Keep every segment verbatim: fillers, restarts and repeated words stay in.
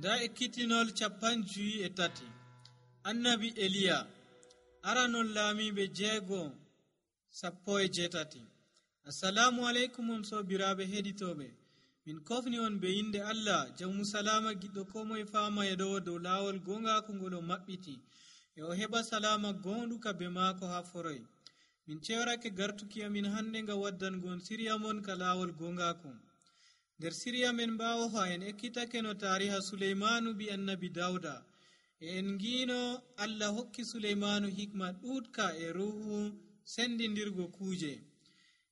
nda ekkitinol capan juyi e tati. Annabi Eliya aranon laamiɓe jeego sappo e jeetati. Assalamu alaikum on sobiraɓe heɗitoɓe, min kofni on be inde Allah jawmu salama giɗɗo ko moye fama e ɗo dow laawol gongaku ngol o maɓɓiti e o heɓa salama gonɗuka be maako ha foroy. Min cewrake gartuki amin hande nga waddangon siriya mon ka laawol gongaku. nder siriya men ɓawo ha en ekkitake no tariha Suleimanu bi annabi Dawda e en ngino Allah hokki Suleimanu hikma ɗuɗka e ruhu sendindirgo kuje.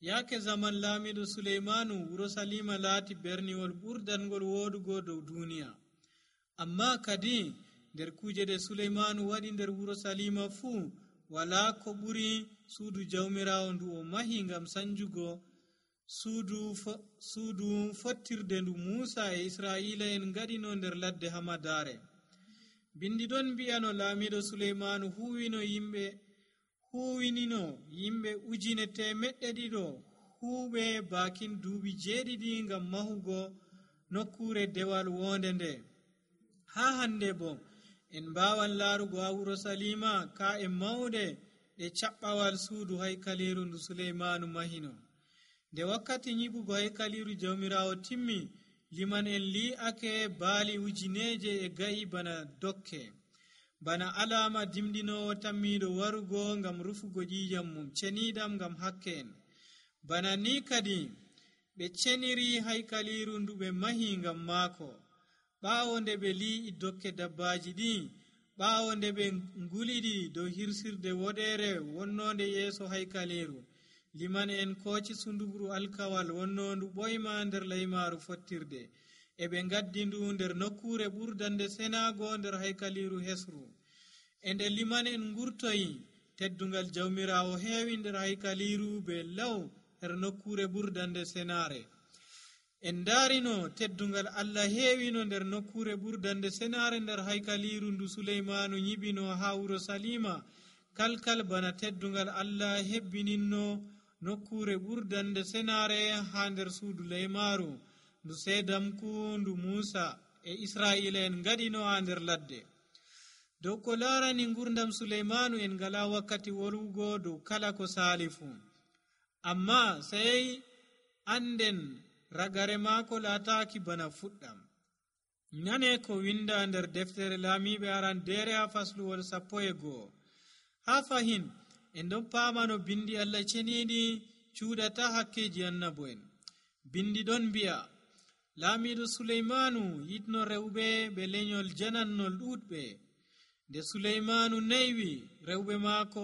Yake zaman laamiɗo Suleimanu wuro Salima laati berniwol ɓurdangol wodugo dow duniya. Amma kadi nder kuje ɗe Suleimanu waɗi nder wuro Salima fuu wala ko ɓuri suudu jawmirawo ndu o mahi ngam sanjugo suudu fo- suudu fottirde ndu Musa e Israila en ngaɗino nder ladde hamadare. Bindi ɗon mbi'a no laamiɗo Suleimanu huwino yimɓe huwinino yimɓe ujine temeɗɗe ɗiɗo huuɓe bakin duuɓi jeeɗiɗi ngam mahugo nokkure dewal wonde nde. Ha hande bo en mbawan laarugo ha wuro Salima ka e mawɗe ɗe caɓɓawal suudu haykaliru ndu Suleimanu mahino. Nde wakkati nyiɓugo haykaliru jawmirawo timmi, liman en li'ake baali ujineje e ga'i bana dokke, bana alama dimɗinowo tammiɗo warugo ngam rufugo ƴiƴam mum ceniɗam ngam hakke en. Bana ni kadi ɓe ceniri haykaliru ndu ɓe mahi ngam maako. ɓawo nde ɓe li'i dokke dabbaji ɗi, ɓawo nde ɓe nguliɗi dow hirsirde woɗere wonnode yeeso haykaliru, liman en koci sundugru alkawal wonnondu ɓoyma nder laymaru fottirde, e ɓe gaddi ndu nder nokkure ɓurdande senago nder haykaliru hesru. E nde liman en ngurtoyi, teddungal jawmirawo heewi nder haykaliru be law her nokkure ɓurdande senare. En daarino teddungal Allah heewino nder nokkure ɓurdande senare nder haykaliru ndu Suleimanu nyiɓino ha wuro Salima, kalkal bana teddungal Allah hebbininno nokkure ɓurdande senare ha nder suudu laymaru ndu sedamku ndu Musa e Israila en ngaɗino ha nder ladde. Dow ko larani ngurdam Suleimanu en ngala wakkati wolwugo dow kala ko saali fuu, amma sey anden ragare maako laataaki bana fuɗɗam. Nane ko winda nder deftere laamiɓe arandere ha fasluwol sappo e go'o. Ha fahin en ɗon paamano bindi Allah ceniɗi cuuɗata hakkeji annabo'en. Bindi ɗon mbi'a laamiɗo Suleimanu yitno rewɓe ɓe lenyol janannol ɗuɗɓe. Nde Suleimanu naywi, rewɓe maako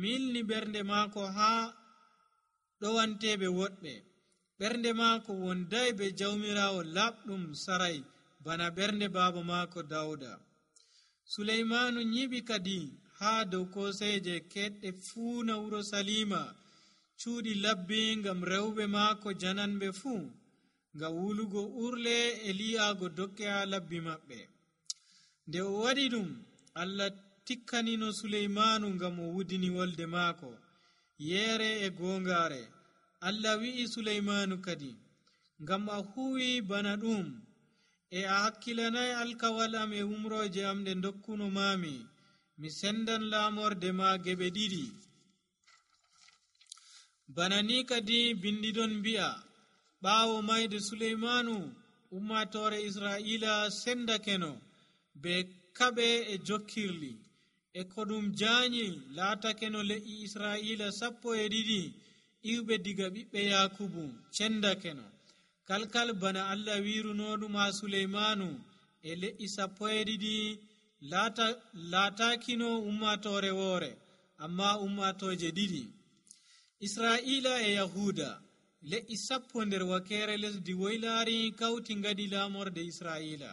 milni ɓernde maako ha ɗowanteɓe woɗɓe. ɓernde maako wonday be jawmirawo laɓɗum saray bana ɓernde baaba maako Dawda. Suleimanu nyiɓi kadi ha dow koseje keɗɗe fuu na wuro Salima, cuuɗi labbi ngam rewɓe maako jananɓe fuu, ngam wulugo urle e li'aago dokke ha labbi maɓɓe. Nde o waɗi ɗum, Allah tikkanino Suleimanu ngam o wudini wolde maako yeere e gongare. Allah wi'i Suleimanu kadi, ngam a huwi bana ɗum e a hakkilanai alkawal am e umroje am ɗe dokkuno mami, mi sendan laamorde ma geɓe ɗiɗi. Bana ni kadi bindi ɗon mbi'a ɓaawo mayde Suleimanu, ummatore Israila sendakeno be kaɓe e jokkirli, e ko ɗum jaanyi laatakeno le'i Israila sappo e ɗiɗi iwɓe diga ɓiɓɓe Yakubu cendakeno, kalkal bana Allah wirunoɗum ha Suleimanu e le'i sappo e ɗiɗi laata laatakino ummatore woore, amma ummatoje ɗiɗi. Israila e Yahuda le'i sappo nder wakere lesdi woylari kawti ngadi laamorde Israila,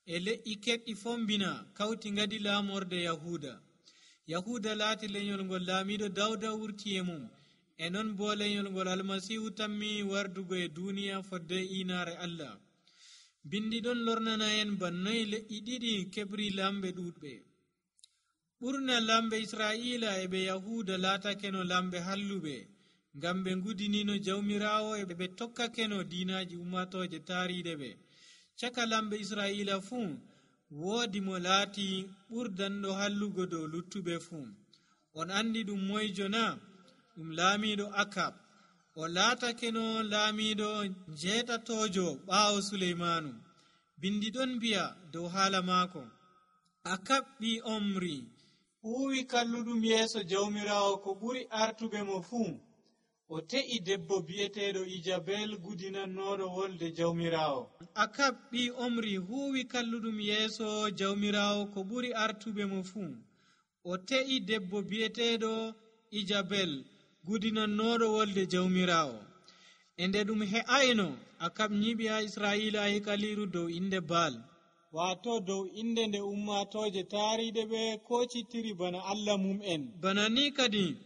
e le'i keɗɗi fombina kawti ngadi laamorde Yahuda. Yahuda laati lenyol ngol laamiɗo Dawda wurti e mum, e non bo lenyol ngol Almasihu tammi wardugo e duniya fodde inare Allah. Bindi ɗon lornana en bannoy le'i ɗiɗi keɓri lamɓe ɗuɗɓe. ɓurna lamɓe Israila e ɓe Yahuda laatakeno lamɓe halluɓe, ngam ɓe ngudinino jawmirawo e ɓe tokkakeno diinaji ummatoje taariɗe ɓe. caka lamɓe israila fuu woodi mo laati ɓurdanɗo hallugo dow luttuɓe fuu. On andi ɗum moyjo na? Ɗum laamiɗo Akab. o laatakeno laamiɗo jeetatojo ɓaawo Suleymanu. bindi ɗon bi'a dow haala maako: Akab ɓi Omri huwi kalluɗum yeeso jawmirawo ko ɓuri artuɓe mo fuu. o te'i debbo bi'eteeɗo Ijabel gudinannoɗo wolde jawmirawo. Akab ɓi Omri huwi kalluɗum yeeso jawmirawo ko ɓuri artuɓe mo fuu. o te'i debbo bi'eteeɗo Ijabel gudinannoɗo wolde jawmirawo. e nde ɗum he'ayno, Akab nyiɓi ha Israila hekaliru dow inde Baal, wato dow inde nde ummatoje taariɗe ɓe kocittiri bana Allah mum'en. bana ni kadi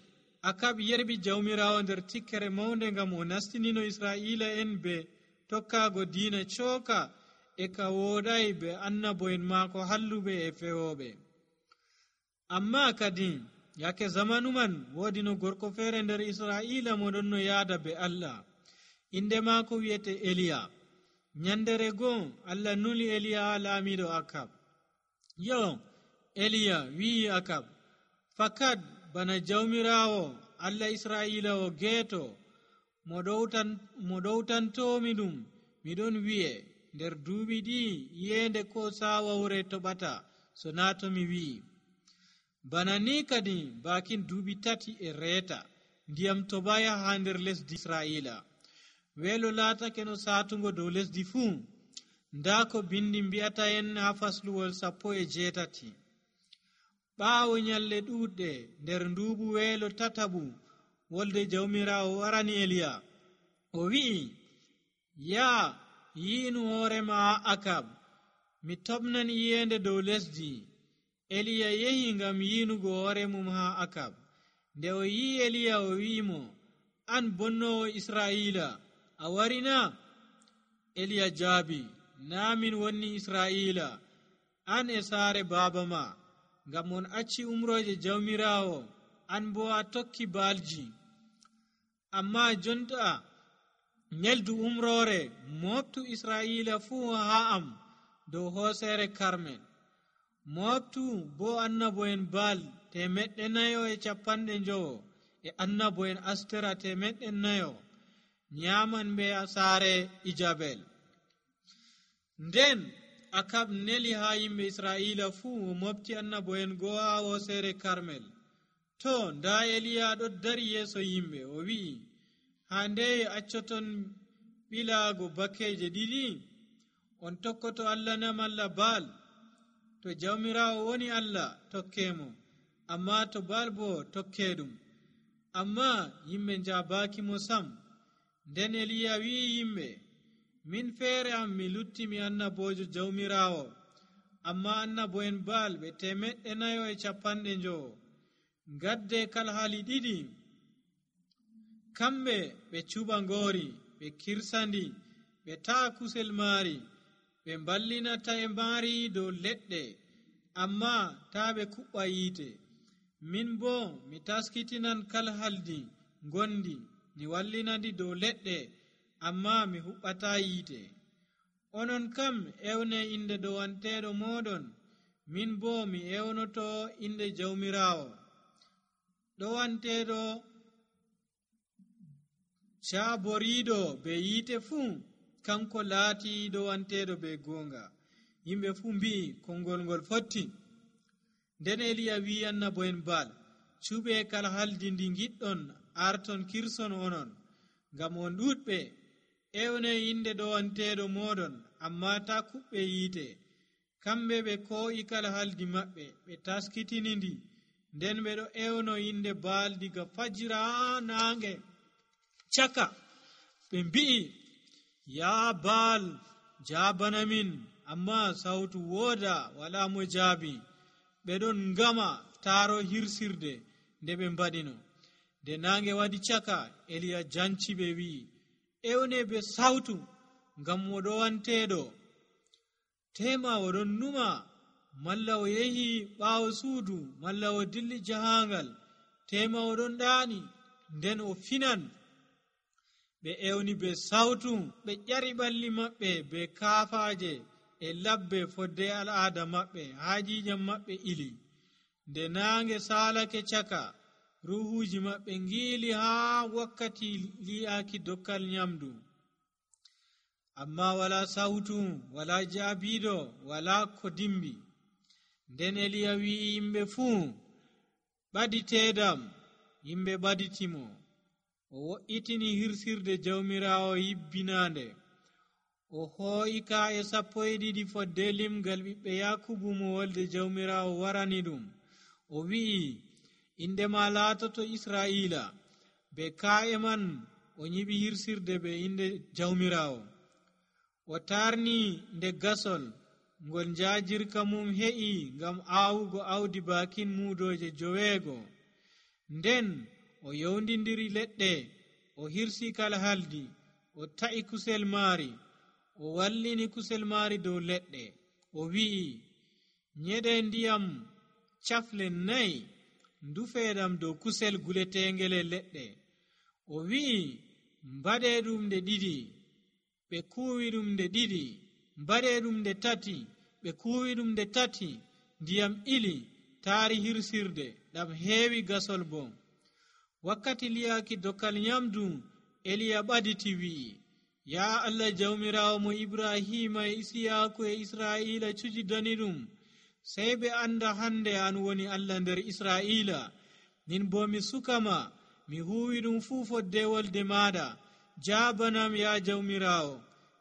Akab yerbi jawmirawo nder tikkere mawnde ngam o nastinino Israila en be tokkaago diina cooka e ka wooɗay be annabo'en maako halluɓe e fewoɓe. amma kadi yake zamanu man woodi no gorko feere nder Israila mo ɗon no yaada be Allah. inde maako wiyete Eliya. nyandere goo Allah nuli Eliya laamiɗo Akab. yo Eliya wi'i Akab, fakat bana jawmirawo Allah Israila o geeto mo ɗowtan mo ɗowtantomi ɗum, miɗon wi'e nder duuɓi ɗi yende ko saawawre toɓata so na to mi wi'i. bana ni kadi bakin duuɓi tati e reeta ndiyam tobaya ha nder lesdi Israila. weelo laatake no saatugo dow lesdi fuu. nda ko bindi mbi'ata en ha fasluwol sappo e jeetati. ɓaawo nyalle ɗuuɗɗe nder nduuɓu weelo tataɓu, wolde jawmirawo warani Eliya. o wi'i, yaa yi'inu hoorema Akab, mi toɓnan iyende dow lesdi. Eliya yehi ngam yiinugo hoore mum ha Akab. nde o yi'i Eliya, o wi'imo, an bonnowo Israila, a warina? Eliya jaabi, naa min wonni Israila, an e saare baaba ma, ngam on acci umroje jawmirawo, an bo a tokki baalji. amma jonta nyeldu umrore moftu Israila fuu ha am dow hoosere Karmel. moftu bo annabo'en Baal temeɗɗe nayo e capanɗe njowo e annabo'en Astera temeɗɗe nayo nyaman be saare Ijabel. nden Akab neli ha yimɓe Israila fuu o mofti annabo'en goo ha hoosere Karmel. to nda Eliya ɗo dari yeeso yimɓe, o wi'i, ha nde accoton ɓilaago bakkeje ɗiɗi? on tokkoto Allah na malla Baal? to jawmirawo woni Allah, tokkemo, amma to Baal bo tokke ɗum. amma yimɓe njabaki mo sam. nden Eliya wi'i yimɓe, min feere am mi lutti mi annabojo jawmirawo, amma annabo'en Baal ɓe temeɗɗe nayo e capanɗe njowo. gadde kalhali ɗiɗi, kamɓe ɓe cuɓa ngoori, ɓe kirsandi, ɓe ta'a kusel maari, ɓe ballinata e maari dow leɗɗe, amma taa ɓe kuɓɓa yiite. min bo mi taskitinan kalhaldi gondi, mi wallinandi dow leɗɗe, amma mi huɓɓata yiite. onon kam ewne inde dowanteɗo moɗon, min bo mi ewnoto inde jawmirawo. dowanteɗo caboriɗo be yiite fuu, kanko laati dowanteɗo be goonga. yimɓe fuu mbi'i konngol ngol fotti. nden Eliya wi annabo'en Baal, cuɓe kala haldi ndi giɗɗon arton kirson onon, ngam on ɗuɗɓe. ewne inde dowanteɗo moɗon, amma ta kuɓɓe yiite. kamɓe ɓe ko'i kala haldi maɓɓe, ɓe taskitini ndi. nden ɓe ɗo ewno inde Baal diga fajira ha naange caka. ɓe mbi'i, yaa Baal, jaabana min. amma sawtu wooda, wala mo jaabi. ɓe ɗon ngama taaro hirsirde nde ɓe mbaɗino. nde naange waɗi caka, Eliya janci ɓe wi'i, ewne be sawtu, ngam mo ɗowanteɗo tema o ɗon numa, malla o yehi ɓaawo suudu, malla o dilli jahangal, tema o ɗon ɗaani, nden o finan. ɓe ewni be sawtu, ɓe ƴari ɓalli maɓɓe be kaafaje e labbe fodde al'aada maɓɓe. Haajijam maɓɓe ili. Nde naange saalake caka, ruhuuji maɓɓe ngiili haa wakkati li'aaki dokkal nyamdu. Amma wala sawtu, wala jaabiiɗo, wala ko dimbi. Nden Eliya wi'i yimɓe fuu, ɓaditeedam. Yimɓe ɓaditimo. O wo'itini hirsirde jawmiraawo yibbinaande. O hoo'i ka'e sappo e ɗiɗi fodde limgal ɓiɓɓe Yakubu mo wolde jawmiraawo warani ɗum. O wi'i, inde ma laatoto Israa'iila. Be ka'e man o nyiɓi hirsirde be inde jawmiraawo. O tarni nde gasol ngol njaajirka mum he'i ngam aawugo awdi baakin muudoje joweego. Nden o yowndindiri leɗɗe, o hirsi kala haldi, o ta'i kusel maari, o wallini kusel maari dow leɗɗe. O wi'i, nyeɗe ndiyam cafle nayi ndufeeɗam dow kusel guletengele leɗɗe. O wi'i, mbaɗe ɗum nde ɗiɗi, ɓe kuuwi ɗum nde ɗiɗi. Mbaɗe ɗum nde tati, ɓe kuuwi ɗum nde tati. Ndiyam ili taari hirsirde, ɗam heewi gasol bo. Wakkati li'aaki dokkal nyamdu, Eliya ɓaditi wi'i, yaa Allah jawmiraawo mo Ibrahima e Isiyaaku e Israa'iila cujidani ɗum, sey ɓe anda hande an woni Allah nder Israa'iila. Min bo mi sukama, mi huuwi ɗum fuu fodde wolde maaɗa. Jaabanam yaa jawmiraawo,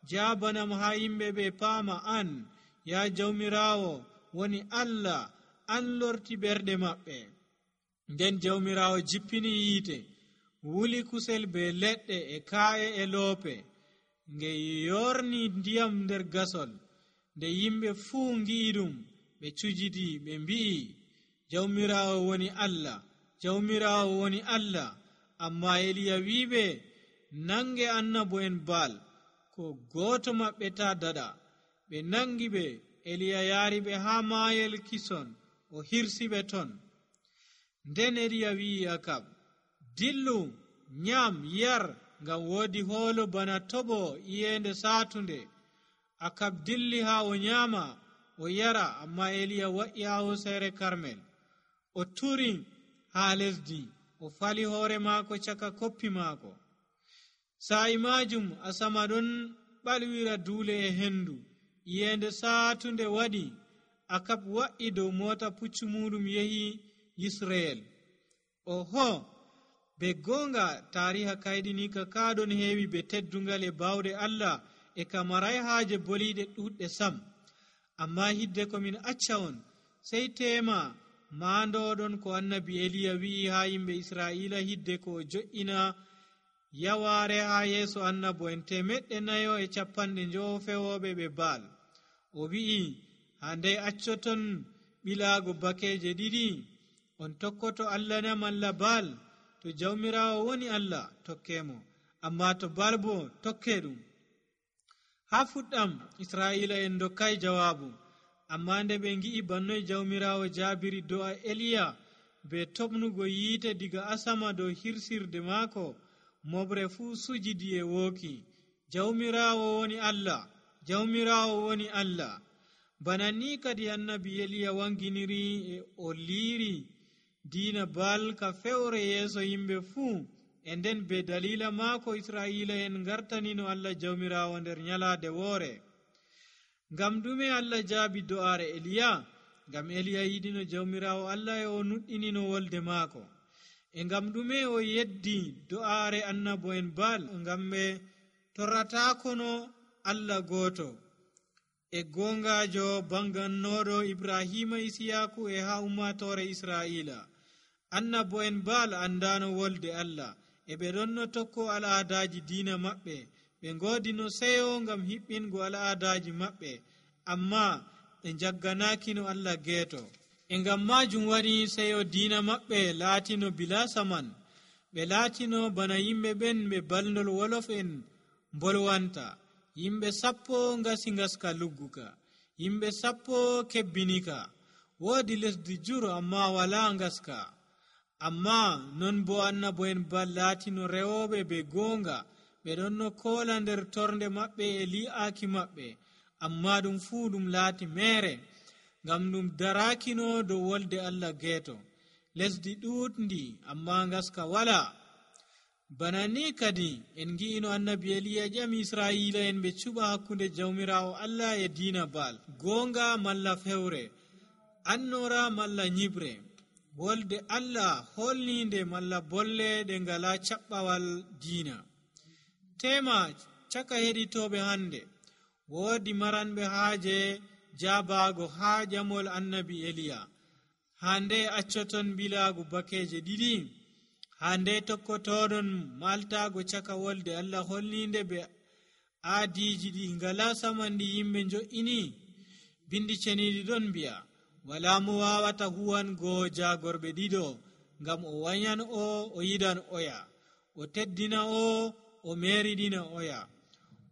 jaabanam haa yimɓe ɓe paama an, yaa jawmiraawo woni Allah, an lorti ɓerɗe maɓɓe. Nden jawmiraawo jippini yiite, wuli kusel be leɗɗe e ka'e e loope, nge yorni ndiyam nder gasol. Nde yimɓe fuu ngi'i ɗum, ɓe cujidi, ɓe mbi'i, jawmiraawo woni Allah, jawmiraawo woni Allah. Amma Eliya wi'iɓe, nange annabo en Baal, ko gooto maɓɓe ta daɗa. Ɓe nangi ɓe. Eliya yaari ɓe haa maayel Kison, o hirsi ɓe ton. Nden Eliya wi'i Akab, dillu, nyam, yar, ngam woodi hoolo bana toɓo iyeende saatunde. Akab dilli haa o nyaama, o yara, amma Eliya wa'i haa hosere Karmel. O turi haa lesdi, o fali hoore maako caka koppi maako. Sa'i majum asama ɗon ɓalwira duule e hendu. Iyeende saatunde waɗi. Akab wa'i dow mota puccu muɗum yehi Yisreel. Oho, be gonga tariha kayɗinika kaɗon heewi be teddungal e bawde Allah e ka maray haaje boliɗe ɗuɗɗe sam. Amma hidde komin acca on, sey tema maandoɗon ko annabi Eliya wi'i haa yimɓe Israa'iila hidde ko o jo'ina yawaare haa yeeso annabo en temeɗɗe nayo e capanɗe njowo fewoɓe ɓe Baal. O wi'i, haa ndey accoton ɓilaago bakeje ɗiɗi, on tokkoto Allah na malla Baal? To jawmiraawo woni Allah, tokkemo, amma to Baal bo tokke ɗum. Haa fuɗɗam Israa'iila en dokkay jawaabu, amma nde ɓe ngi'i bannoy jawmiraawo jaabiri do'a Eliya be toɓnugo yiite diga asama dow hirsirde maako, moɓre fuu sujidi e wooki. Jawmiraawo woni Allah, jawmiraawo woni Allah. Bana ni kadi annabi Eliya wanginiri e o liiri diina Baal ka fewre yeeso yimɓe fuu, e nden be dalila maako Israa'iila en ngartanino Allah jawmiraawo nder nyalaade woore. Ngam ɗume Allah jaabi do'aare Eliya? Ngam Eliya yiɗino jawmiraawo Allah e o nuɗɗinino wolde maako. E ngam ɗume o yeddi do'aare annabo en Baal? Ngam ɓe torratakono Allah gooto e gongajo bangannoɗo Ibrahima, Isiyaku e haa ummatore Israa'iila. Annabo en Baal andano wolde Allah, e ɓe ɗonno tokko al'aadaji diina maɓɓe. Ɓe ngoodino seyo ngam hiɓɓingo al'aadaji maɓɓe, amma ɓe jagganakino Allah geeto. E ngam majum waɗi seyo diina maɓɓe laatino bila saman. Ɓe laatino bana yimɓe ɓen ɓe balndol wolof en mbolwanta. Yimɓe sappo ngasi ngaska lugguka, yimɓe sappo kebbinika. Woodi lesdi jur amma wala ngaska. Amma non bo annabo en Baal laatino rewoɓe be goonga, ɓe ɗon no koola nder torde maɓɓe e li'aaki maɓɓe, amma ɗum fuu ɗum laati meere ngam ɗum darakino dow wolde Allah geeto. Lesdi ɗuuɗndi amma ngaska wala. Bana ni kadi en ngi'ino annabi Eliya ƴami Israa'iila en ɓe cuɓa hakkunde jawmiraawo Allah e diina Baal, goonga malla fewre, annora malla nyibre, wolde Allah holninde malla bolle ɗe ngala caɓɓawal diina. Tema caka heɗitoɓe hande, woodi maranɓe haaje jabaago haa ƴamol annabi Eliya. Hande accoton bilaago bakeje ɗiɗi, hande tokkotoɗon maltago caka wolde Allah holninde be aadiji ɗi ngala samanɗi yimɓe jo'ini. Bindi ceniɗi ɗon mbi'a, wala mo wawata huwango jagorɓe ɗiɗo, ngam o wanyan o o yiɗan oya, o teddina o o meriɗina oya.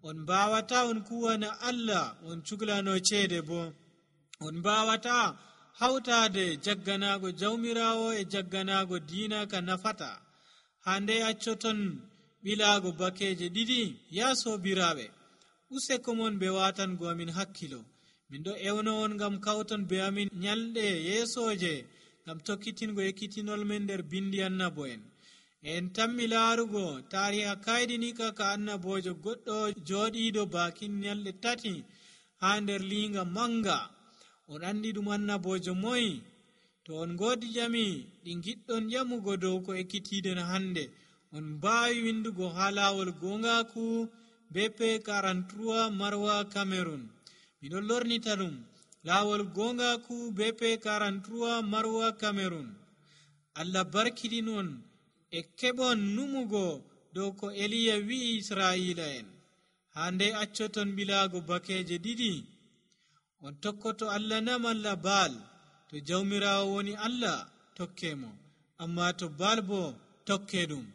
On mbawata on kuwana Allah on cuklano ceede bo. On mbawata hawtade jagganago jawmirawo e jagganago diina ka nafata. Hande accoton ɓilaago bakeje ɗiɗi. Ya sobiraɓe, useko mon ɓe watango amin hakkilo. Min ɗo ewno on ngam kawton be amin nyalɗe yeesoje ngam tokkitingo ekkitinol men nder bindi annabo en. En tammi laarugo tariha kaydinika ka annabojo goɗɗo joɗiɗo bakin nyalɗe tati ha nder linga manga. On andi ɗum annabojo moyi? To on godi ƴami ɗi giɗɗon ƴamugo dow ko ekkitiɗen hande, on mbawi windugo ha lawol gongaku B P quarante-trois Marwa Cameroon. Miɗon lornita ɗum, lawol gongaku B P quarante-trois Marwa Cameroon. Allah barkiɗinon e keɓon numugo dow ko Eliya wi'i Israa'iila en. Hande accoton bilaago bakeje ɗiɗi. On tokkoto Allah na malla Baal? To jawmirawo woni Allah, tokkemo, amma to Baal bo, tokke ɗum.